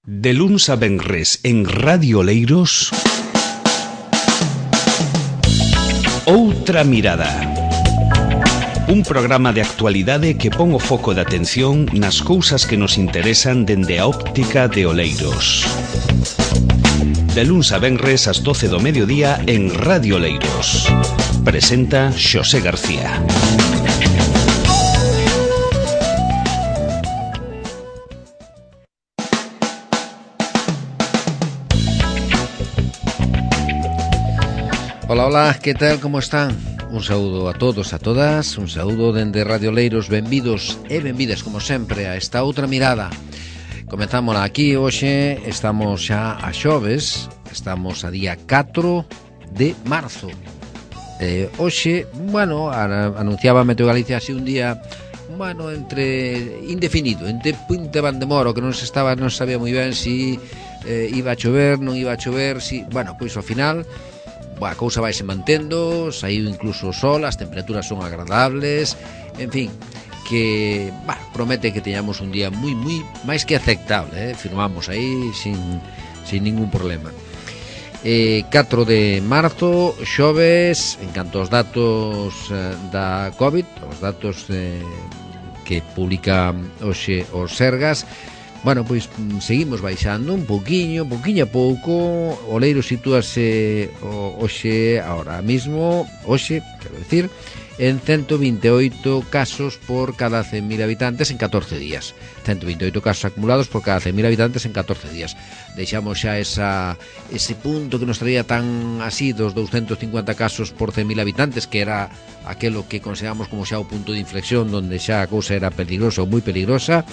De luns a venres en Radio Oleiros, Outra Mirada. Un programa de actualidade que pon o foco de atención nas cousas que nos interesan dende a óptica de Oleiros. De luns a venres ás 12 do mediodía en Radio Oleiros. Presenta Xosé García. Hola, hola, que tal, como están? Un saúdo a todos, a todas, un saúdo dende Radio Oleiros, benvidos e benvidas, como sempre, a esta outra mirada. Comezamos aquí hoxe, estamos xa a xoves, estamos a día 4 de marzo. Hoxe, bueno, anunciaba Meteo Galicia así un día, bueno, entre indefinido, entre punta van de moro, que non sabía moi ben si iba a chover, non iba a chover, si, bueno, pois ao final a cousa vai se mantendo, saiu incluso o sol, as temperaturas son agradables, en fin, que promete que teñamos un día moi máis que aceptable, firmamos aí sin ningún problema. 4 de marzo, xoves, en canto aos datos da COVID, os datos que publica hoxe os Sergas, bueno, pois seguimos baixando un pouquiño a pouco. Oleiros sitúase hoxe, ahora mismo, quero decir, en 128 casos por cada 100.000 habitantes en 14 días. 128 casos acumulados por cada 100.000 habitantes en 14 días. Deixamos xa ese punto que nos traía tan así dos 250 casos por 100.000 habitantes, que era aquelo que consideramos como xa o punto de inflexión donde xa a cousa era peligrosa ou moi peligrosa.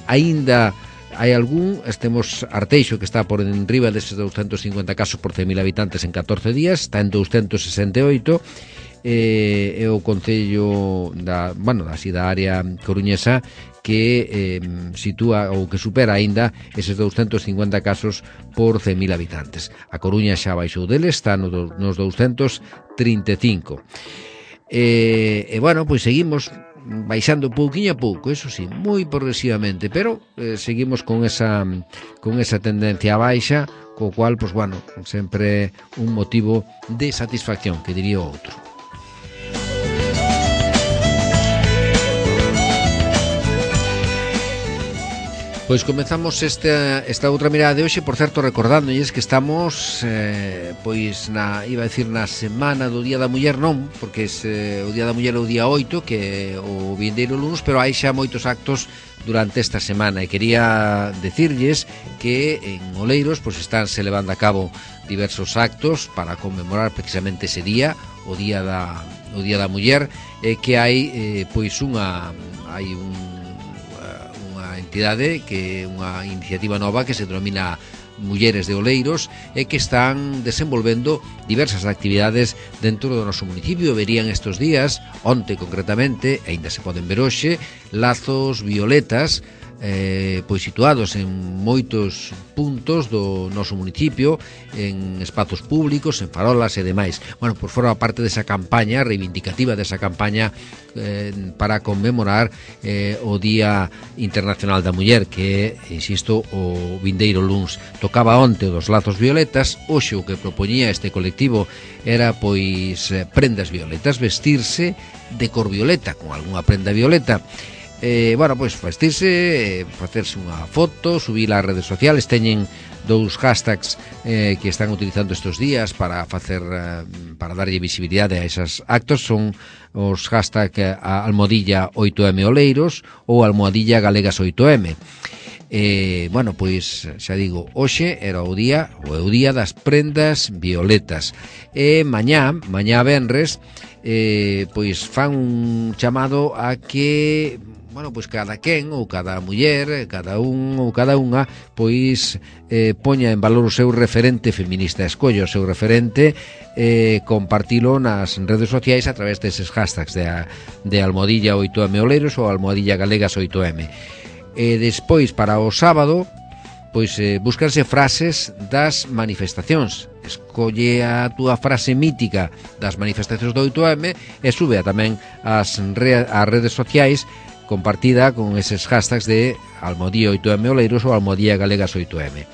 Aínda hai algún, temos Arteixo que está por enriba deses 250 casos por 100.000 habitantes en 14 días, está en 268, e o Concello da área coruñesa que sitúa ou que supera aínda eses 250 casos por 100.000 habitantes. A Coruña xa baixou deles, está nos 235. Bueno, pois seguimos baixando pouquiño a pouco, eso sí, moi progresivamente, pero seguimos con esa tendencia a baixa, co cual, pues bueno, sempre un motivo de satisfacción, que diría outro. Pois comezamos esta outra mirada de hoxe, por certo, recordándolles que estamos pois na semana do Día da Muller, non, porque o Día da Muller é o día 8, que é o vindeiro luns, pero hai xa moitos actos durante esta semana, e quería decirlles que en Oleiros pois estánse levando a cabo diversos actos para conmemorar precisamente ese día, o Día da Muller, que hai pois unha entidade, que é unha iniciativa nova que se denomina Mulleres de Oleiros, e que están desenvolvendo diversas actividades dentro do noso municipio. Verían estes días, onte concretamente, aínda se poden ver hoxe, lazos violetas pois situados en moitos puntos do noso municipio, en espazos públicos, en farolas e demais. Bueno, por forma parte desa campaña reivindicativa, desa campaña para conmemorar o Día Internacional da Muller, que é, insisto, o vindeiro luns. Tocaba onte dos lazos violetas. Hoxe o que propoñía este colectivo era pois prendas violetas, vestirse de cor violeta, con algunha prenda violeta. Bueno, pois vestirse, facerse unha foto, subir ás redes sociales. Teñen dous hashtags que están utilizando estes días para darlle visibilidade a esos actos. Son os hashtag almohadilla 8M Oleiros ou almohadilla galegas 8M. Bueno, pois xa digo, hoxe era o día das prendas violetas, e mañá venres pois fan un chamado a que, bueno, pois cada quen ou cada muller, cada un ou cada unha, pois poña en valor o seu referente feminista, escolla o seu referente, compartilo nas redes sociais a través deses hashtags de almohadilla 8M Oleiros ou almohadilla galegas 8M. Despois, para o sábado, pois búscanse frases das manifestacións. Escolle a túa frase mítica das manifestacións do 8M e sube tamén ás redes sociais compartida con eses hashtags de Almodía 8M Oleiros ou Almodía Galegas 8M.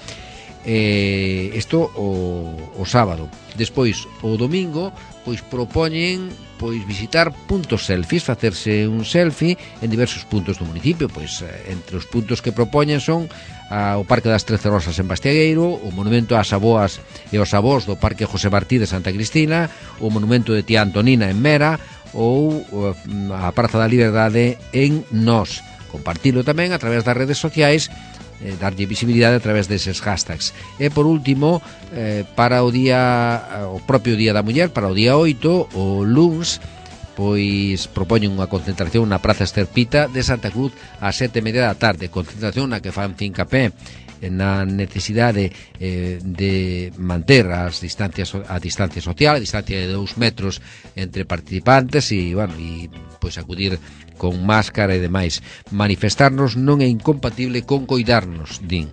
Isto o sábado. Despois, o domingo, pois propoñen visitar puntos selfies, facerse un selfie en diversos puntos do municipio. Pois entre os puntos que propoñen son o Parque das 13 Rosas en Bastiagueiro, o monumento ás avoas e aos avós do Parque José Martí de Santa Cristina, o monumento de Tía Antonina en Mera ou a Praza da Liberdade en Nós. Compartilo tamén a través das redes sociais, darlle visibilidade a través deses hashtags. E por último, para o propio Día da Muller, para o día 8, o luns, pois propoñen unha concentración na Praza Esterpita de Santa Cruz ás 7:30 da tarde, concentración na que fan fincapé na necesidade de manter a distancia social, a distancia de 2 metros entre participantes e pois acudir con máscara e demais. Manifestarnos non é incompatible con coidarnos, din.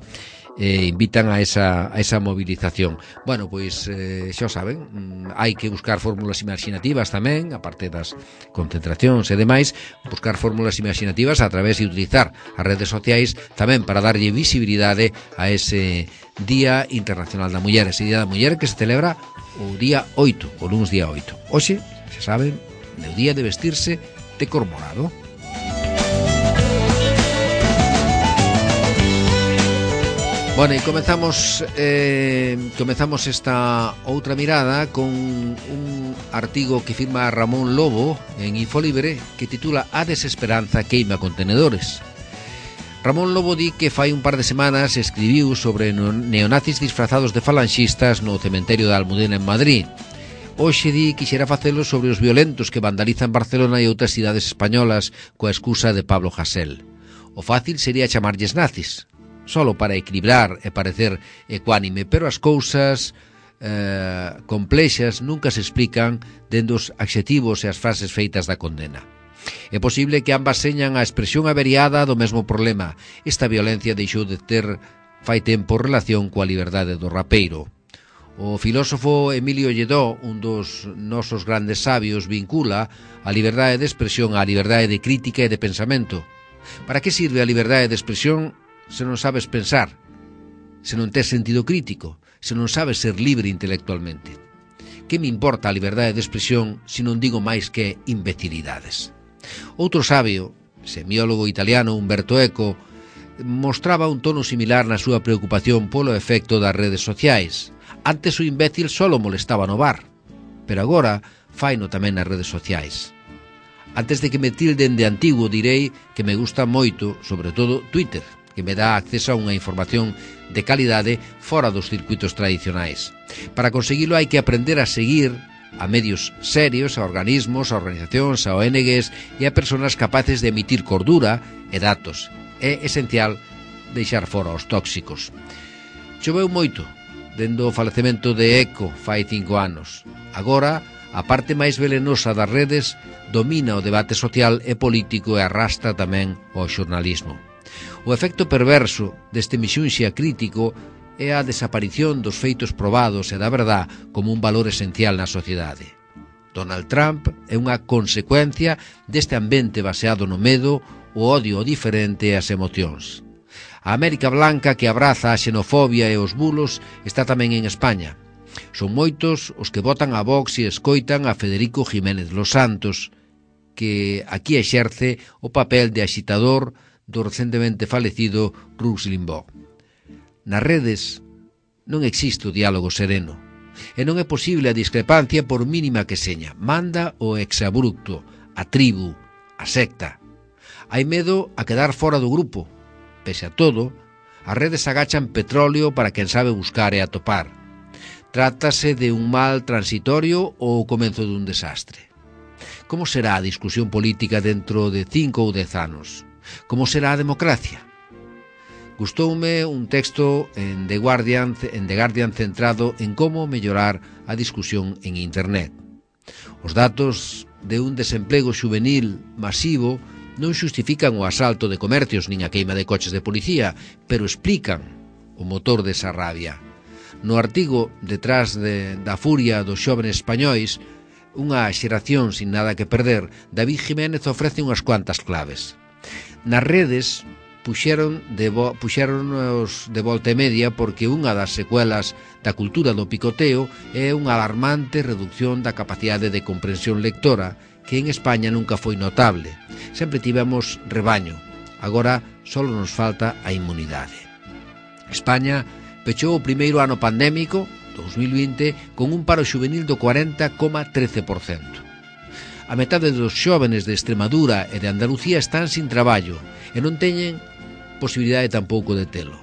Invitan a esa movilización. Bueno, pois xa o saben, hai que buscar fórmulas imaginativas tamén, aparte das concentracións e demais, buscar fórmulas imaginativas a través de utilizar as redes sociais tamén para darlle visibilidade a ese Día Internacional da Muller, ese Día da Muller que se celebra o día 8, o luns día 8. Hoxe, xa saben, é o día de vestirse de cor morado. Bueno, e comezamos esta outra mirada con un artigo que firma Ramón Lobo en Infolibre que titula A desesperanza queima contenedores. Ramón Lobo di que fai un par de semanas escribiu sobre neonazis disfrazados de falanxistas no cementerio da Almudena en Madrid. Hoxe di que quixera facelo sobre os violentos que vandalizan Barcelona e outras cidades españolas coa excusa de Pablo Hasél. O fácil sería chamarlles nazis, solo para equilibrar e parecer ecuánime, pero as cousas complexas nunca se explican dende os adxetivos e as frases feitas da condena. É posible que ambas señan a expresión averiada do mesmo problema. Esta violencia deixou de ter fai tempo relación coa liberdade do rapeiro. O filósofo Emilio Lledó, un dos nosos grandes sabios, vincula a liberdade de expresión á liberdade de crítica e de pensamento. Para que sirve a liberdade de expresión se non sabes pensar, se non tes sentido crítico, se non sabes ser libre intelectualmente? Que me importa a liberdade de expresión se non digo máis que imbecilidades? Outro sabio, semiólogo italiano Umberto Eco, mostraba un tono similar na súa preocupación polo efecto das redes sociais. Antes o imbécil solo molestaba no bar, pero agora faino tamén nas redes sociais. Antes de que me tilden de antigo direi que me gusta moito, sobre todo, Twitter, que me dá acceso a unha información de calidade fora dos circuitos tradicionais. Para conseguilo hai que aprender a seguir a medios serios, a organismos, a organizacións, a ONGs e a persoas capaces de emitir cordura e datos. É esencial deixar fora os tóxicos. Choveu moito dende o falecemento de Eco fai 5 anos. Agora, a parte máis velenosa das redes domina o debate social e político e arrastra tamén o xornalismo. O efecto perverso deste mixunxia crítico é a desaparición dos feitos probados e da verdad como un valor esencial na sociedade. Donald Trump é unha consecuencia deste ambiente baseado no medo, o odio ao diferente e as emocións. A América Blanca que abraza a xenofobia e os bulos está tamén en España. Son moitos os que votan a Vox e escoitan a Federico Jiménez Los Santos, que aquí exerce o papel de axitador do recentemente falecido Rush Limbaugh. Nas redes non existe o diálogo sereno e non é posible a discrepancia por mínima que seña. Manda o exabrupto, a tribu, a secta. Hai medo a quedar fora do grupo. Pese a todo, as redes agachan petróleo para quen sabe buscar e atopar. Trátase de un mal transitorio ou o comezo dun desastre. Como será a discusión política dentro de 5 ou 10 anos? Como será a democracia? Gustoume un texto en The Guardian centrado en como mellorar a discusión en Internet. Os datos de un desemplego xuvenil masivo non xustifican o asalto de comercios nin a queima de coches de policía, pero explican o motor desa rabia. No artigo Detrás da furia dos xóvenes españois, unha xeración sin nada que perder, David Jiménez ofrece unhas cuantas claves. Nas redes puxéronos de volta e media porque unha das secuelas da cultura do picoteo é unha alarmante reducción da capacidade de comprensión lectora que en España nunca foi notable. Sempre tivemos rebaño, agora só nos falta a inmunidade. España pechou o primeiro ano pandémico, 2020, con un paro xuvenil do 40,13%. A metade dos xóvenes de Extremadura e de Andalucía están sin traballo e non teñen posibilidade tampouco de telo.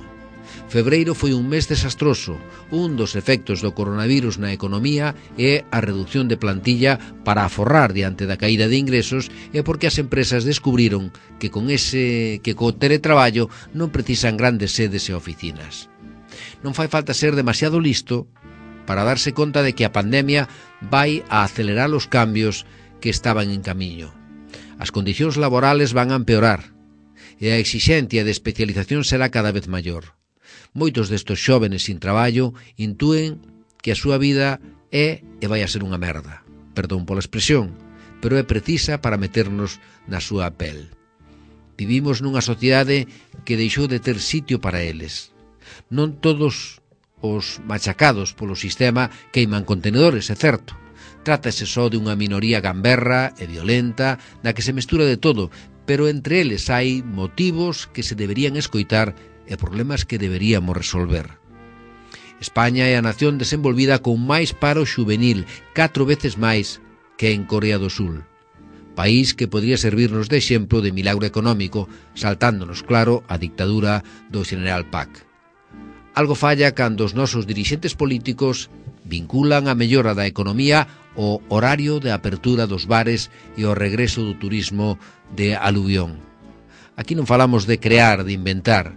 Febreiro foi un mes desastroso. Un dos efectos do coronavirus na economía é a reducción de plantilla para aforrar diante da caída de ingresos e porque as empresas descubriron que co teletraballo non precisan grandes sedes e oficinas. Non fai falta ser demasiado listo para darse conta de que a pandemia vai a acelerar os cambios que estaban en camiño. As condicións laborales van a empeorar e a exixencia de especialización será cada vez maior. Moitos destes xóvenes sin traballo intúen que a súa vida é e vai a ser unha merda. Perdón pola expresión, pero é precisa para meternos na súa pel. Vivimos nunha sociedade que deixou de ter sitio para eles. Non todos os machacados polo sistema queiman contenedores, é certo. Trátase só de unha minoría gamberra e violenta na que se mestura de todo, pero entre eles hai motivos que se deberían escoitar e problemas que deberíamos resolver. España é a nación desenvolvida con máis paro xuvenil, 4 veces máis que en Corea do Sul. País que podría servirnos de exemplo de milagro económico, saltándonos, claro, a dictadura do General Pak. Algo falla cando os nosos dirixentes políticos vinculan a mellora da economía o horario de apertura dos bares e o regreso do turismo de aluvión. Aquí non falamos de crear, de inventar.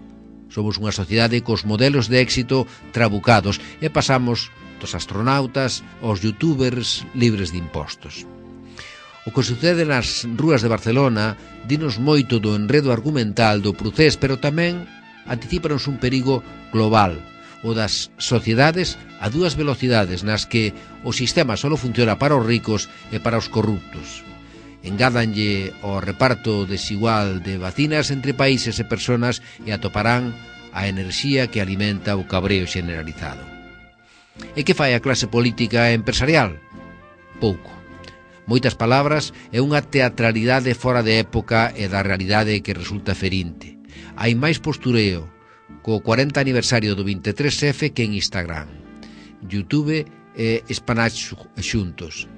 Somos unha sociedade cos modelos de éxito trabucados e pasamos dos astronautas aos youtubers libres de impostos. O que sucede nas rúas de Barcelona dinos moito do enredo argumental do Procés, pero tamén anticipanos un perigo global, o das sociedades a dúas velocidades nas que o sistema só funciona para os ricos e para os corruptos. Engádanlle ao reparto desigual de vacinas entre países e persoas e atoparán a enerxía que alimenta o cabreo generalizado. E que fai a clase política e empresarial? Pouco. Moitas palabras e unha teatralidade fora de época e da realidade que resulta ferinte. Hai máis postureo co 40 aniversario do 23F que en Instagram, YouTube e Spanax xuntos.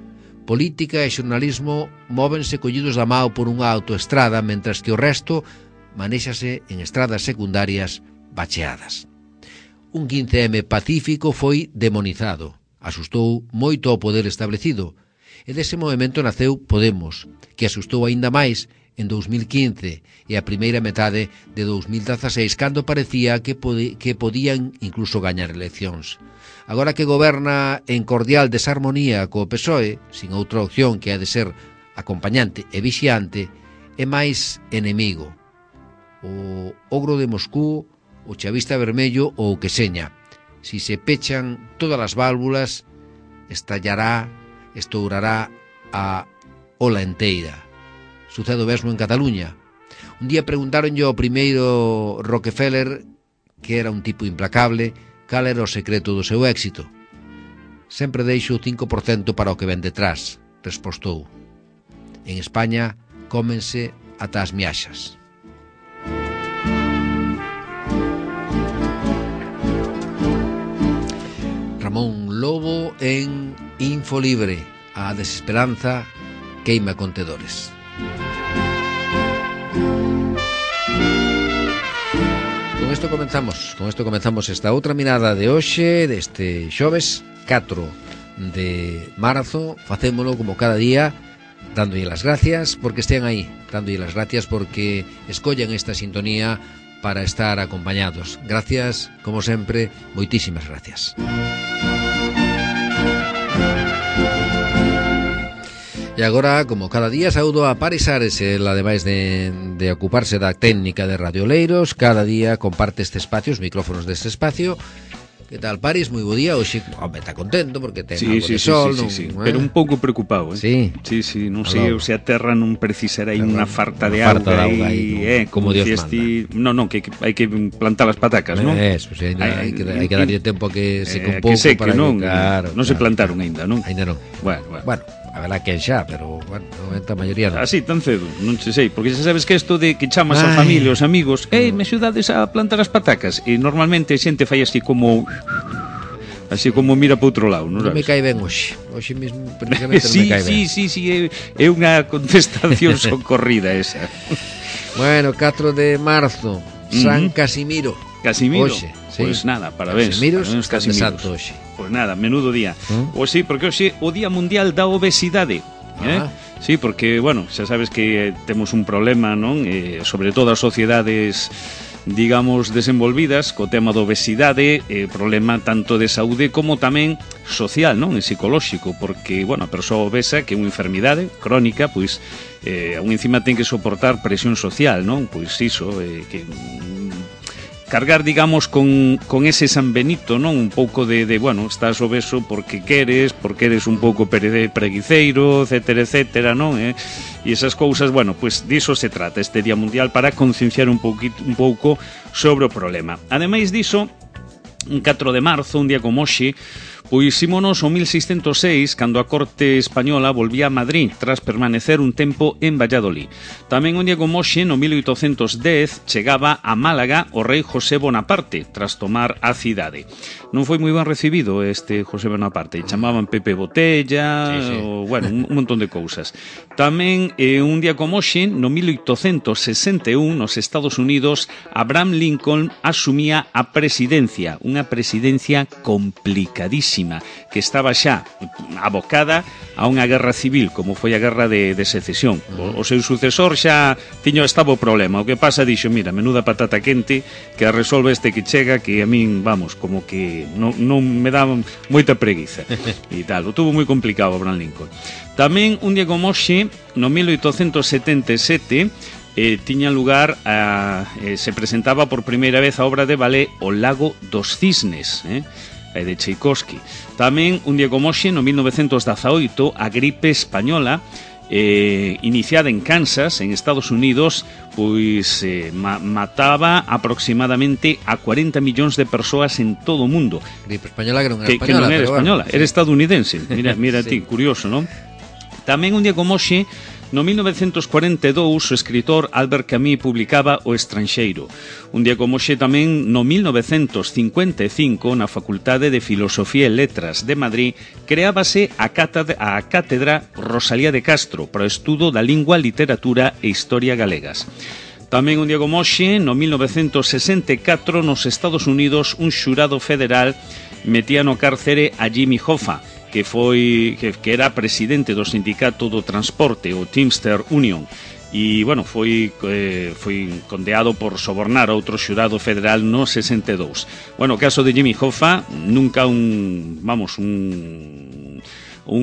Política e xornalismo móvense collidos da mao por unha autoestrada, mentras que o resto manéxase en estradas secundarias bacheadas. Un 15M pacífico foi demonizado, asustou moito ao poder establecido, e dese movimento naceu Podemos, que asustou aínda máis en 2015 e a primeira metade de 2016, cando parecía que podían incluso gañar eleccións. Agora que goberna en cordial desarmonía co PSOE, sin outra opción que ha de ser acompañante e vixiante, é máis enemigo. O ogro de Moscú, o chavista vermello ou o que seña. Si se pechan todas as válvulas, estourará a ola enteira. Sucede o mesmo en Cataluña. Un día preguntaronlle ao primeiro Rockefeller, que era un tipo implacable, cal era o secreto do seu éxito. Sempre deixo o 5% para o que ven detrás, respostou. En España, cómense ata as miaxas. Ramón Lobo en Infolibre. A desesperanza queima contedores. Con isto comenzamos esta outra mirada de hoxe, deste xoves 4 de marzo. Facémolo como cada día, dándolle las gracias porque estean aí, dándolle las gracias porque escollan esta sintonía para estar acompañados. Gracias, como sempre, moitísimas gracias. E agora, como cada día, saúdo a Paris Ares, ela ademais de ocuparse da técnica de Radio Oleiros, cada día comparte este espacio, os micrófonos deste espacio, Que tal, París? Moi bo día. Hoxe, home, está contento porque ten algo de sol. Sí. Pero un pouco preocupado, Sí. Sí, non sei se a terra non precisará unha farta de auga aí, como Dios manda. Non, que hai que plantar as patacas, non? Eso, sí, hai que darlle tempo a que seque un pouco que para non, claro, non se plantaron aínda, non? Aínda non. Bueno. A verdad que xa, pero bueno, a maioría non. Así tan cedo, non se sei, porque xa sabes que isto de que chamas a familia, os amigos, me axudades a plantar as patacas, e normalmente a xente fai así como mira para outro lado, non sabes? Non me cae ben hoxe mesmo precisamente non me cae ben. Sí, é unha contestación socorrida esa. Bueno, 4 de marzo, San Casimiro. Oxe, sí. Pois nada, parabéns. Casimiros. Pois nada, menudo día. Pois sí, porque hoxe o Día Mundial da Obesidade. Sí, porque, bueno, xa sabes que temos un problema, non? Sobre todo as sociedades, digamos, desenvolvidas co tema da obesidade, problema tanto de saúde como tamén social, non? E psicolóxico, porque, bueno, a persoa obesa, que é unha enfermidade crónica, pois, aún encima ten que soportar presión social, non? Pois iso, que cargar, digamos, con ese San Benito, non? Un pouco de bueno, estás obeso porque eres un pouco preguiceiro, etcétera, non? E esas cousas, bueno, pues diso se trata este Día Mundial, para concienciar un pouco sobre o problema. Ademais diso, un 4 de marzo, un día como hoxe, pois ímonos o 1606, cando a corte española volvía a Madrid tras permanecer un tempo en Valladolid. Tamén un día como hoxe, no 1810, chegaba a Málaga o rei José Bonaparte tras tomar a cidade. Non foi moi ben recibido este José Bonaparte, chamaban Pepe Botella, sí. Bueno, un montón de cousas. Tamén un día como hoxe, no 1861, nos Estados Unidos, Abraham Lincoln asumía a presidencia, unha presidencia complicadísima, que estaba xa abocada a unha guerra civil, como foi a guerra de secesión. O seu sucesor xa estaba o problema. O que pasa, dixo, mira, menuda patata quente, que a resolve este que chega, que a min, vamos, como que non me dá moita preguiza. E tal, o tuvo moi complicado Abraham Lincoln. Tamén, un día como hoxe, no 1877, tiña lugar se presentaba por primeira vez a obra de ballet O Lago dos Cisnes, de Tchaikovsky. Tamén, un día como hoxe, no 1918, a gripe española, iniciada en Kansas, en Estados Unidos, pois mataba aproximadamente a 40 millóns de persoas en todo o mundo. Gripe española que non era española. Que non era española, bueno, era estadounidense. Mira sí. ti, curioso, non? Tamén, un día como hoxe, no 1942, o escritor Albert Camus publicaba O Estranxeiro. Un día como hoxe tamén, no 1955, na Facultade de Filosofía e Letras de Madrid, creábase a Cátedra Rosalía de Castro para o estudo da lingua, literatura e historia galegas. Tamén un día como hoxe, no 1964, nos Estados Unidos, un xurado federal metía no cárcere a Jimmy Hoffa, que era presidente do sindicato do transporte, o Teamster Union, e, bueno, foi condeado por sobornar a outro xurado federal no 62. Bueno, o caso de Jimmy Hoffa, nunca un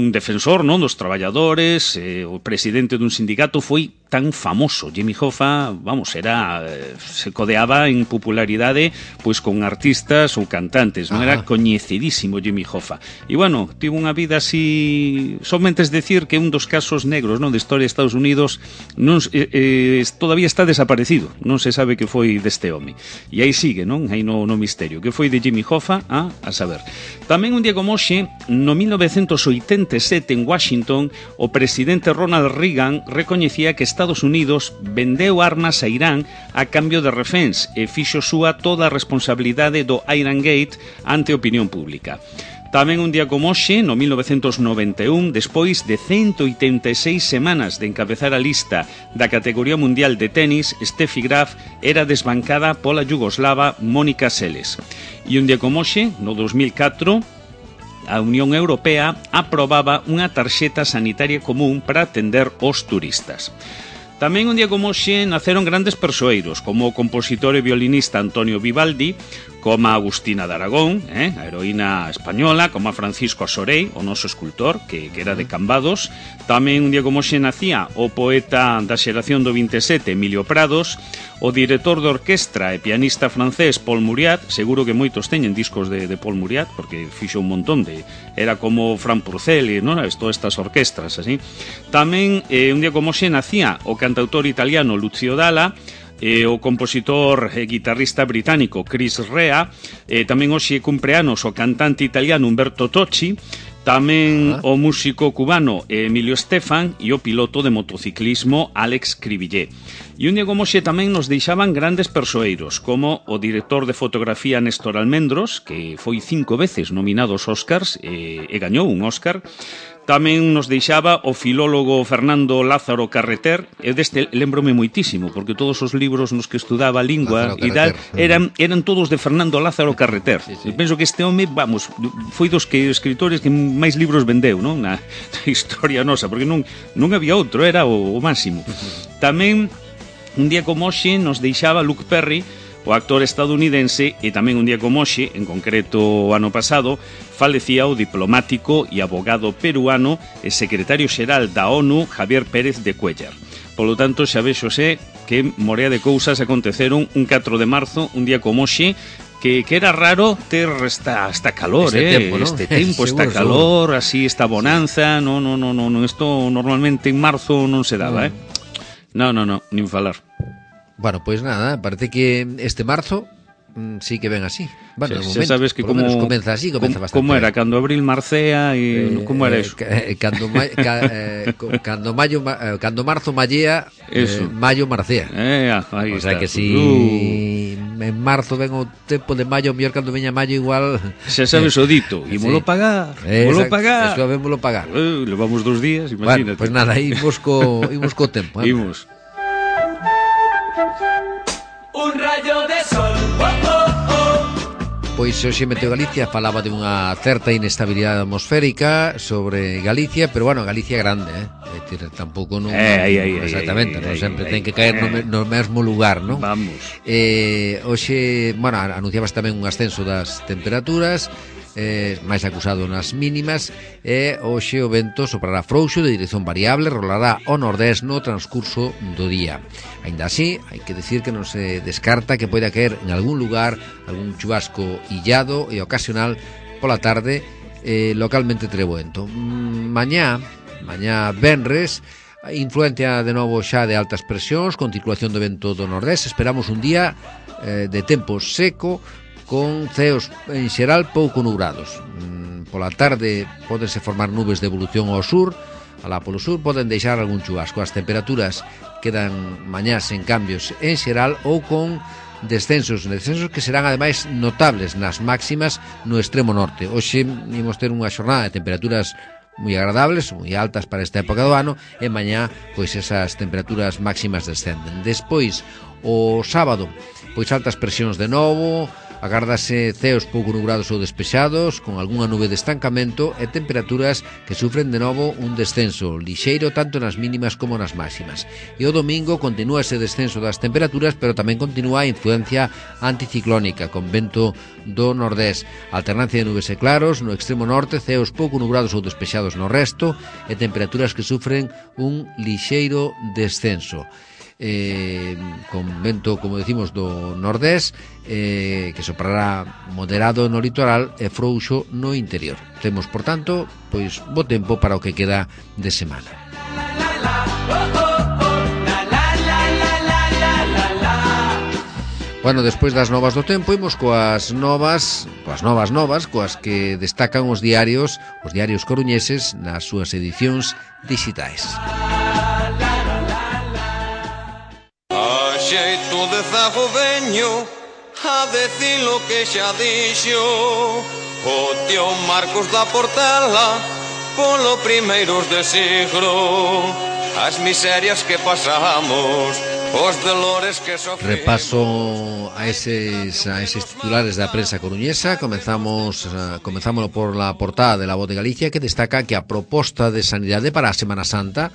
defensor, non, dos traballadores, o presidente dun sindicato, foi tan famoso. Jimmy Hoffa, vamos, se codeaba en popularidade pois con artistas ou cantantes, non? Era coñecidísimo Jimmy Hoffa. E, bueno, tivo unha vida así, somente es decir que un dos casos negros, non, de historia de Estados Unidos todavía está desaparecido, non se sabe que foi deste home. E aí sigue, non? Aí no misterio. Que foi de Jimmy Hoffa? A saber. Tamén un día como hoxe, no 1987, en Washington, o presidente Ronald Reagan recoñecía que Estados Unidos vendeu armas a Irán a cambio de reféns e fixo súa toda a responsabilidade do Iran Gate ante a opinión pública. Tamén un día como hoxe, no 1991, despois de 186 semanas de encabezar a lista da categoría mundial de tenis, Steffi Graf era desbancada pola yugoslava Mónica Seles. E un día como hoxe, no 2004, a Unión Europea aprobaba unha tarxeta sanitaria común para atender os turistas. Tamén un día como hoxe naceron grandes persoeiros, como o compositor e violinista Antonio Vivaldi, como a Agustina de Aragón, a heroína española, como a Francisco Asorey, o noso escultor, que era de Cambados. Tamén un día como hoxe nacía o poeta da xeración do 27, Emilio Prados, o director de orquestra e pianista francés Paul Muriat. Seguro que moitos teñen discos de Paul Muriat, porque fixo un montón de... Era como Fran Purcell, ¿no? Todas estas orquestras, así. Tamén un día como hoxe nacía o cantautor italiano Lucio Dalla, o compositor e guitarrista británico Chris Rea, tamén hoxe cumpleanos o cantante italiano Umberto Tocci, tamén o músico cubano Emilio Estefan e o piloto de motociclismo Alex Cribillé. E un día como hoxe tamén nos deixaban grandes persoeiros, como o director de fotografía Néstor Almendros, que foi 5 veces nominado aos Oscars e gañou un Oscar. Tamén nos deixaba o filólogo Fernando Lázaro Carreter. Eu deste lembrome moitísimo, porque todos os libros nos que estudaba lingua e tal eran todos de Fernando Lázaro Carreter. Eu penso que este home, vamos, foi dos escritores que máis libros vendeu, non? Na historia nosa, porque non había outro, era o máximo. Tamén, un día como hoxe, nos deixaba Luke Perry, o actor estadounidense, e tamén un día como hoxe, en concreto o ano pasado, falecía o diplomático e abogado peruano e secretario xeral da ONU, Javier Pérez de Cuéllar. Polo tanto, xa vexose que morea de cousas aconteceron un 4 de marzo, un día como hoxe, que era raro ter esta calor, tempo, ¿no? Este tempo, esta calor, así, esta bonanza. No, isto normalmente en marzo non se daba, No, nin falar. Bueno, pois nada, parece que este marzo sí que ven así. Bueno, de momento, sabes que como comeza así, comeza bastante. Como era cando abril marcea e como era eso? Cando marzo mallea, mayo marcea. Aí o sea está. que si en marzo ven o tempo de mayo, mellor cando veña mayo igual. Xa sabes o dito, ímolo pagar. Ímolo pagar. Eso vémolo pagar. Levamos 2 días, imagínate. Bueno, pois nada, imos co tempo. Imos. Un rayo de sol, Pois hoxe Meteo Galicia falaba de unha certa inestabilidade atmosférica sobre Galicia, pero bueno, Galicia é grande, É dicir, tampouco non exactamente, non sempre ten que caer no mesmo lugar, non? Vamos. Hoxe, bueno, anunciabas tamén un ascenso das temperaturas, máis acusado nas mínimas, e hoxe o vento soprará frouxo de dirección variable, rolará ao nordés no transcurso do día. Aínda así, hai que decir que non se descarta que poida caer en algún lugar algún chubasco illado e ocasional pola tarde, localmente treboento. Mañá venres, influencia de novo xa de altas presións, con circulación do vento do nordés. Esperamos un día de tempo seco, con ceos en xeral pouco nubrados. Pola tarde podense formar nubes de evolución ao sur, alá polo sur poden deixar algún chubasco. As temperaturas quedan mañás en cambios en xeral ou con descensos que serán ademais notables nas máximas no extremo norte. Hoxe imos ter unha xornada de temperaturas moi agradables, moi altas para esta época do ano, e mañá pois esas temperaturas máximas descenden. Despois, o sábado, pois altas presións de novo, agárdase ceos pouco nubrados ou despexados, con algunha nube de estancamento e temperaturas que sufren de novo un descenso lixeiro tanto nas mínimas como nas máximas. E o domingo continúa ese descenso das temperaturas, pero tamén continúa a influencia anticiclónica, con vento do nordés, alternancia de nubes e claros no extremo norte, ceos pouco nubrados ou despexados no resto, e temperaturas que sufren un lixeiro descenso. Con vento, como decimos, do nordés, que soprará moderado no litoral e frouxo no interior. Temos, por tanto, pois bo tempo para o que queda de semana. Bueno, despois das novas do tempo, imos coas novas, coas que destacan os diarios coruñeses nas súas edicións dixitais. Xeito de zago veño a decir lo que xa dixo o tío Marcos da Portela polo primeiros de siglo, as miserias que pasamos, os dolores que sofrimos. Repaso a eses titulares da prensa coruñesa. Comenzámoslo por la portada de La Voz de Galicia, que destaca que a proposta de sanidade para a Semana Santa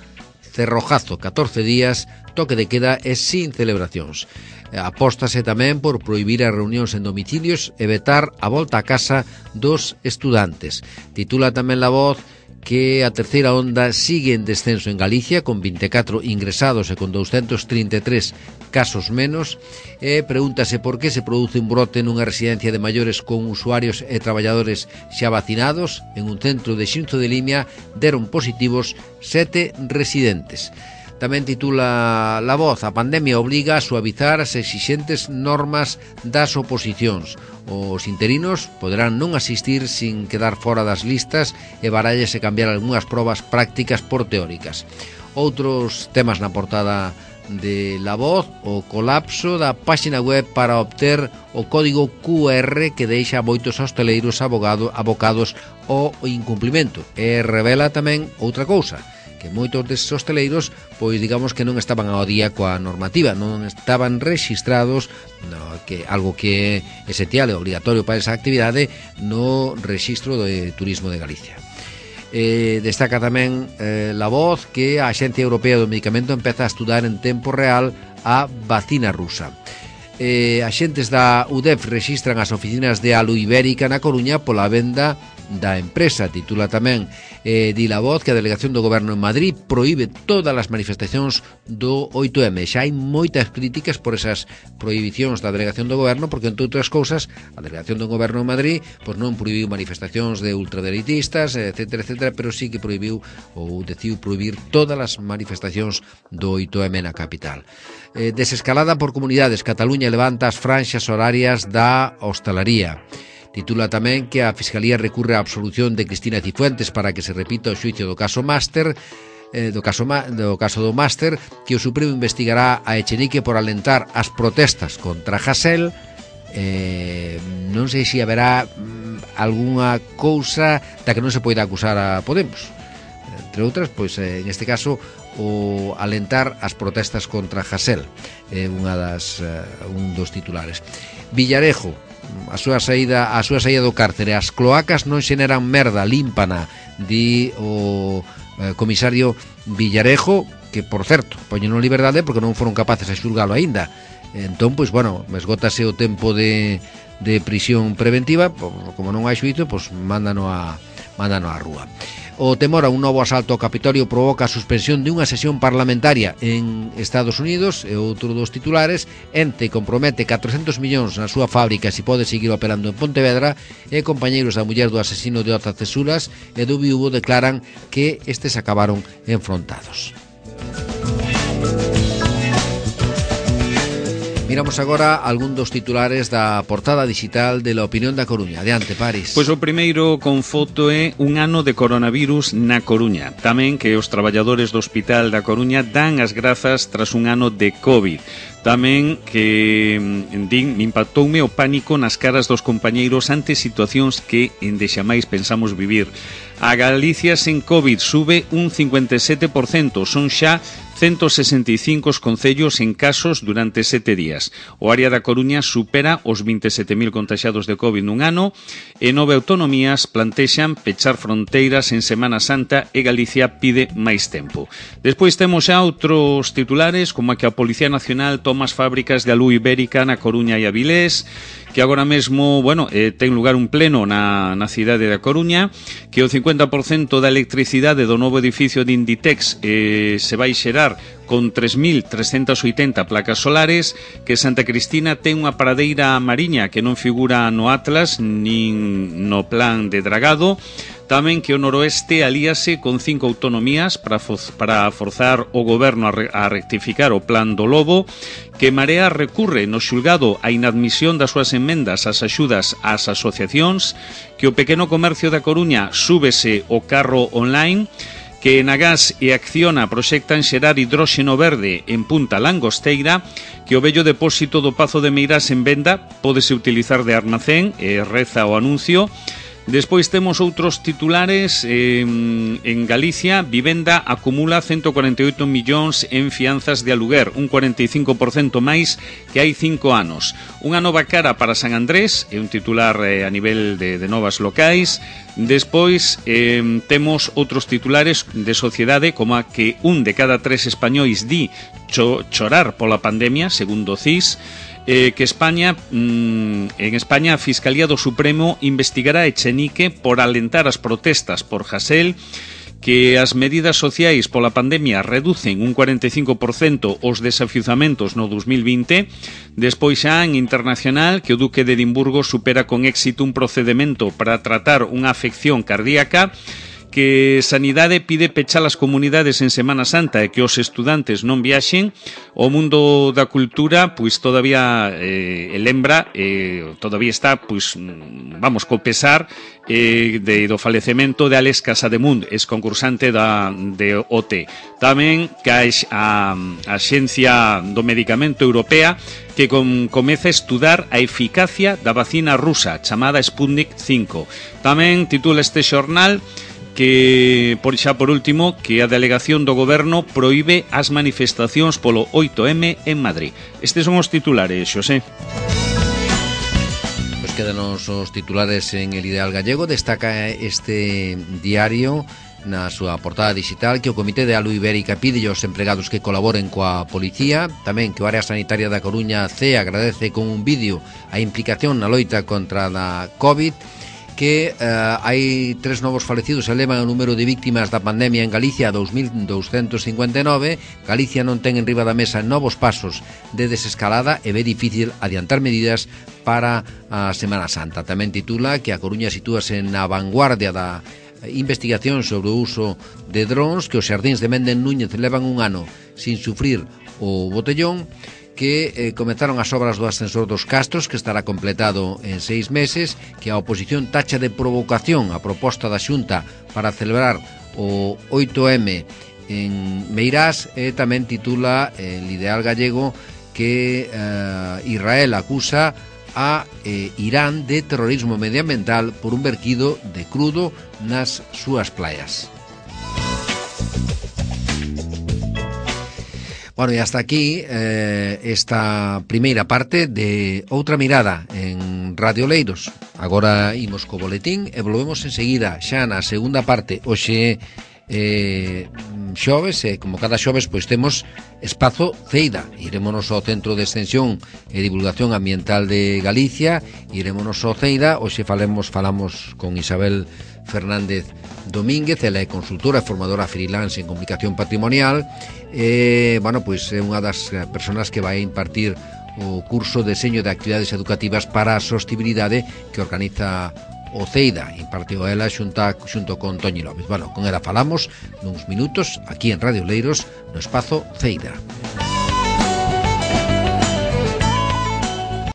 cerrojazo, 14 días, toque de queda e sin celebracións. Apóstase tamén por prohibir as reunións en domicilios e vetar a volta a casa dos estudantes. Titula tamén La Voz que a terceira onda sigue en descenso en Galicia, con 24 ingresados e con 233 casos menos, e pregúntase por que se produce un brote nunha residencia de maiores con usuarios e traballadores xa vacinados. En un centro de Xinzo de Limia deron positivos 7 residentes. Tamén titula La Voz: a pandemia obriga a suavizar as exixentes normas das oposicións. Os interinos poderán non asistir sin quedar fora das listas e barallese cambiar algunhas probas prácticas por teóricas. Outros temas na portada de La Voz: o colapso da páxina web para obter o código QR que deixa moitos hosteleiros abocados ao incumplimento. E revela tamén outra cousa, que moitos desses hosteleiros, pois digamos que non estaban ao día coa normativa, non estaban rexistrados, algo que é esencial e obligatorio para esa actividade, no rexistro de turismo de Galicia. Destaca tamén La Voz que a Axencia Europea do Medicamento empeza a estudar en tempo real a vacina rusa. Axentes da UDEF rexistran as oficinas de Alu Ibérica na Coruña pola venda da empresa. Titula tamén di La Voz que a delegación do Goberno en Madrid proíbe todas as manifestacións do 8M. Xa hai moitas críticas por esas prohibicións da delegación do Goberno, porque, entre outras cousas, a delegación do Goberno en Madrid pois non prohibiu manifestacións de ultradereitistas, etcétera, pero sí que prohibiu ou decidiu prohibir todas as manifestacións do 8M na capital. Desescalada por comunidades, Cataluña levanta as franxas horarias da hostalaría. Titula tamén que a Fiscalía recurre á absolución de Cristina Cifuentes para que se repita o xuicio do caso Máster, do caso do Máster, que o Supremo investigará a Echenique por alentar as protestas contra Hasél. Non sei se haberá algunha cousa da que non se poida acusar a Podemos. Entre outras, pois en este caso, o alentar as protestas contra Hasél, un dos titulares. Villarejo: a súa saída do cárcere, as cloacas non xeneran merda, límpana, di o comisario Villarejo, que, por certo, poñen en liberdade porque non foron capaces de xulgalo aínda. Entón, pois, bueno, esgótase o tempo de prisión preventiva, como non hai xuízo, pois mándano á rúa. O temor a un novo asalto ao Capitolio provoca a suspensión de unha sesión parlamentaria en Estados Unidos. E outro dos titulares: Ente compromete 400 millóns na súa fábrica se pode seguir operando en Pontevedra, e compañeiros da muller do asesino de Oza Cesuras e do viúvo declaran que estes acabaron enfrontados. Miramos agora algún dos titulares da portada digital de La Opinión da Coruña. Adiante, Paris. Pois o primeiro con foto é un ano de coronavirus na Coruña. Tamén que os traballadores do Hospital da Coruña dan as grazas tras un ano de COVID. Tamén que me impactoume o pánico nas caras dos compañeiros ante situacións que endexamais pensamos vivir. A Galicia sen COVID sube un 57%, son xa 165 concellos en casos durante 7 días. O área da Coruña supera os 27.000 contaxiados de COVID nun ano e 9 autonomías plantexan pechar fronteiras en Semana Santa e Galicia pide máis tempo. Despois temos xa outros titulares, como a que a Policía Nacional toma as fábricas de Alu Ibérica na Coruña e Avilés, que agora mesmo, ten lugar un pleno na cidade da Coruña, que o 50% da electricidade do novo edificio de Inditex se vai xerar con 3.380 placas solares, que Santa Cristina ten unha paradeira mariña que non figura no Atlas nin no plan de dragado. Tamén que o noroeste alíase con 5 autonomías para forzar o goberno a rectificar o plan do Lobo, que Marea recurre no xulgado a inadmisión das súas emendas ás axudas ás asociacións, que o pequeno comercio da Coruña súbese o carro online, que Enagás e Acciona proxectan xerar hidróxeno verde en Punta Langosteira, que o vello depósito do Pazo de Meirás en venda pódese utilizar de armacén, e reza o anuncio. Despois temos outros titulares. En Galicia, Vivenda acumula 148 millóns en fianzas de aluguer, un 45% máis que hai 5 anos. Unha nova cara para San Andrés, é un titular a nivel de novas locais. Despois temos outros titulares de sociedade, como a que un de cada 3 españois di chorar pola pandemia, segundo o CIS. Que en España a Fiscalía do Supremo investigará a Echenique por alentar as protestas por Hasel, que as medidas sociais pola pandemia reducen un 45% os desafiuzamentos no 2020. Despois xa en internacional, que o Duque de Edimburgo supera con éxito un procedemento para tratar unha afección cardíaca, que Sanidade pide pechar as comunidades en Semana Santa e que os estudantes non viaxen. O mundo da cultura, pois todavía lembra, todavía está, pois vamos, co pesar do falecemento de Alex Casademont, ex-concursante de OT. Tamén que a Axencia do Medicamento Europea que comeza a estudar a eficacia da vacina rusa chamada Sputnik 5. Tamén titula este xornal que, por último, que a delegación do goberno proíbe as manifestacións polo 8M en Madrid. Estes son os titulares, Xosé. Pois quedanos os titulares en El Ideal Gallego. Destaca este diario na súa portada digital que o Comité de Alu Ibérica pide aos empregados que colaboren coa policía. Tamén que o Área Sanitaria da Coruña C agradece con un vídeo a implicación na loita contra a COVID. Que hai 3 novos falecidos, elevan o número de víctimas da pandemia en Galicia a 2.259. Galicia non ten en riba da mesa novos pasos de desescalada e ve difícil adiantar medidas para a Semana Santa. Tamén titula que a Coruña sitúase na vanguardia da investigación sobre o uso de drons, que os xardíns de Méndez Núñez levan un ano sin sufrir o botellón, que comenzaron as obras do ascensor dos Castros, que estará completado en 6 meses, que a oposición tacha de provocación a proposta da Xunta para celebrar o 8M en Meirás. E tamén titula El Ideal Gallego que Israel acusa a Irán de terrorismo medioambiental por un verquido de crudo nas súas playas. Bueno, e hasta aquí esta primeira parte de Outra Mirada en Radio Leiros. Agora imos co boletín e volvemos enseguida xa na segunda parte. Hoxe xoves, como cada xoves, pois temos Espazo Ceida. Irémonos ao Centro de Extensión e Divulgación Ambiental de Galicia, irémonos ao Ceida. Hoxe falamos con Isabel Fernández Domínguez, ela é consultora e formadora freelance en comunicación patrimonial. Bueno, pois é unha das persoas que vai impartir o curso de Deseño de Actividades Educativas para a Sostibilidade que organiza o Ceida. Impartiu ela xunto con Toñi López. Bueno, con ela falamos nuns minutos aquí en Radio Leiros no Espazo Ceida.